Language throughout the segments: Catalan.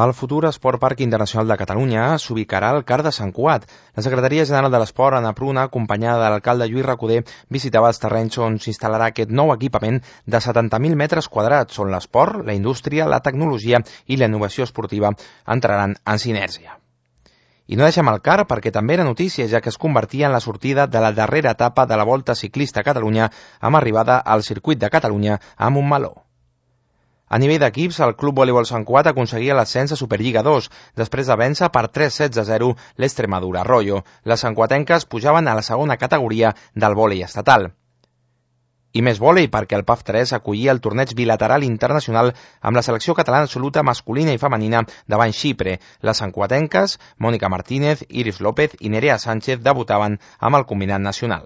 El futur Esport Parc Internacional de Catalunya s'ubicarà al CAR de Sant Cugat. La Secretaria General de l'Esport, Anna Pruna, acompanyada de l'alcalde Lluís Recoder, visitava els terrenys on s'instal·larà aquest nou equipament de 70.000 metres quadrats, on l'esport, la indústria, la tecnologia i la innovació esportiva entraran en sinergia. I no deixem el CAR perquè també era notícia, ja que es convertia en la sortida de la darrera etapa de la Volta Ciclista a Catalunya amb arribada al Circuit de Catalunya a Montmeló. A nivell d'equips, el Club Voleibol Sant Cugat aconseguia l'ascens a Superliga 2, després de vèncer per 3-16-0 l'Extremadura Arroyo. Les santcuatenques pujaven a la segona categoria del vòlei estatal. I més vòlei perquè el PAF 3 acollia el torneig bilateral internacional amb la selecció catalana absoluta masculina i femenina davant Xipre. Les santcuatenques, Mònica Martínez, Iris López i Nerea Sánchez debutaven amb el combinat nacional.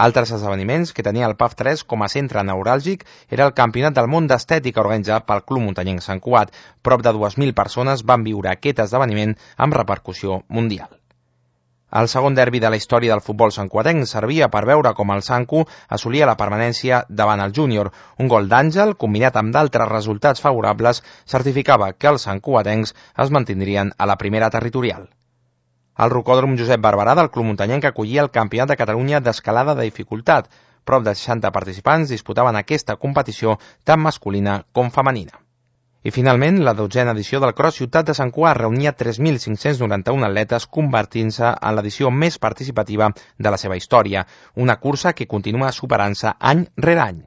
Altres esdeveniments que tenia el PAF 3 com a centre neuràlgic era el Campionat del Món d'Estètica organitzat pel Club Muntanyenc Sant Cugat. Prop de 2.000 persones van viure aquest esdeveniment amb repercussió mundial. El segon derbi de la història del futbol santcuatenc servia per veure com el Sancu assolia la permanència davant el júnior. Un gol d'Àngel, combinat amb d'altres resultats favorables, certificava que els santcuatencs es mantindrien a la primera territorial. El rocòdrom Josep Barberà del Club Muntanyenc acollia el Campionat de Catalunya d'escalada de dificultat. Prop de 60 participants disputaven aquesta competició tant masculina com femenina. I finalment, la 12a edició del Cross Ciutat de Sant Cugat reunia 3.591 atletes, convertint-se en l'edició més participativa de la seva història, una cursa que continua superant-se any rere any.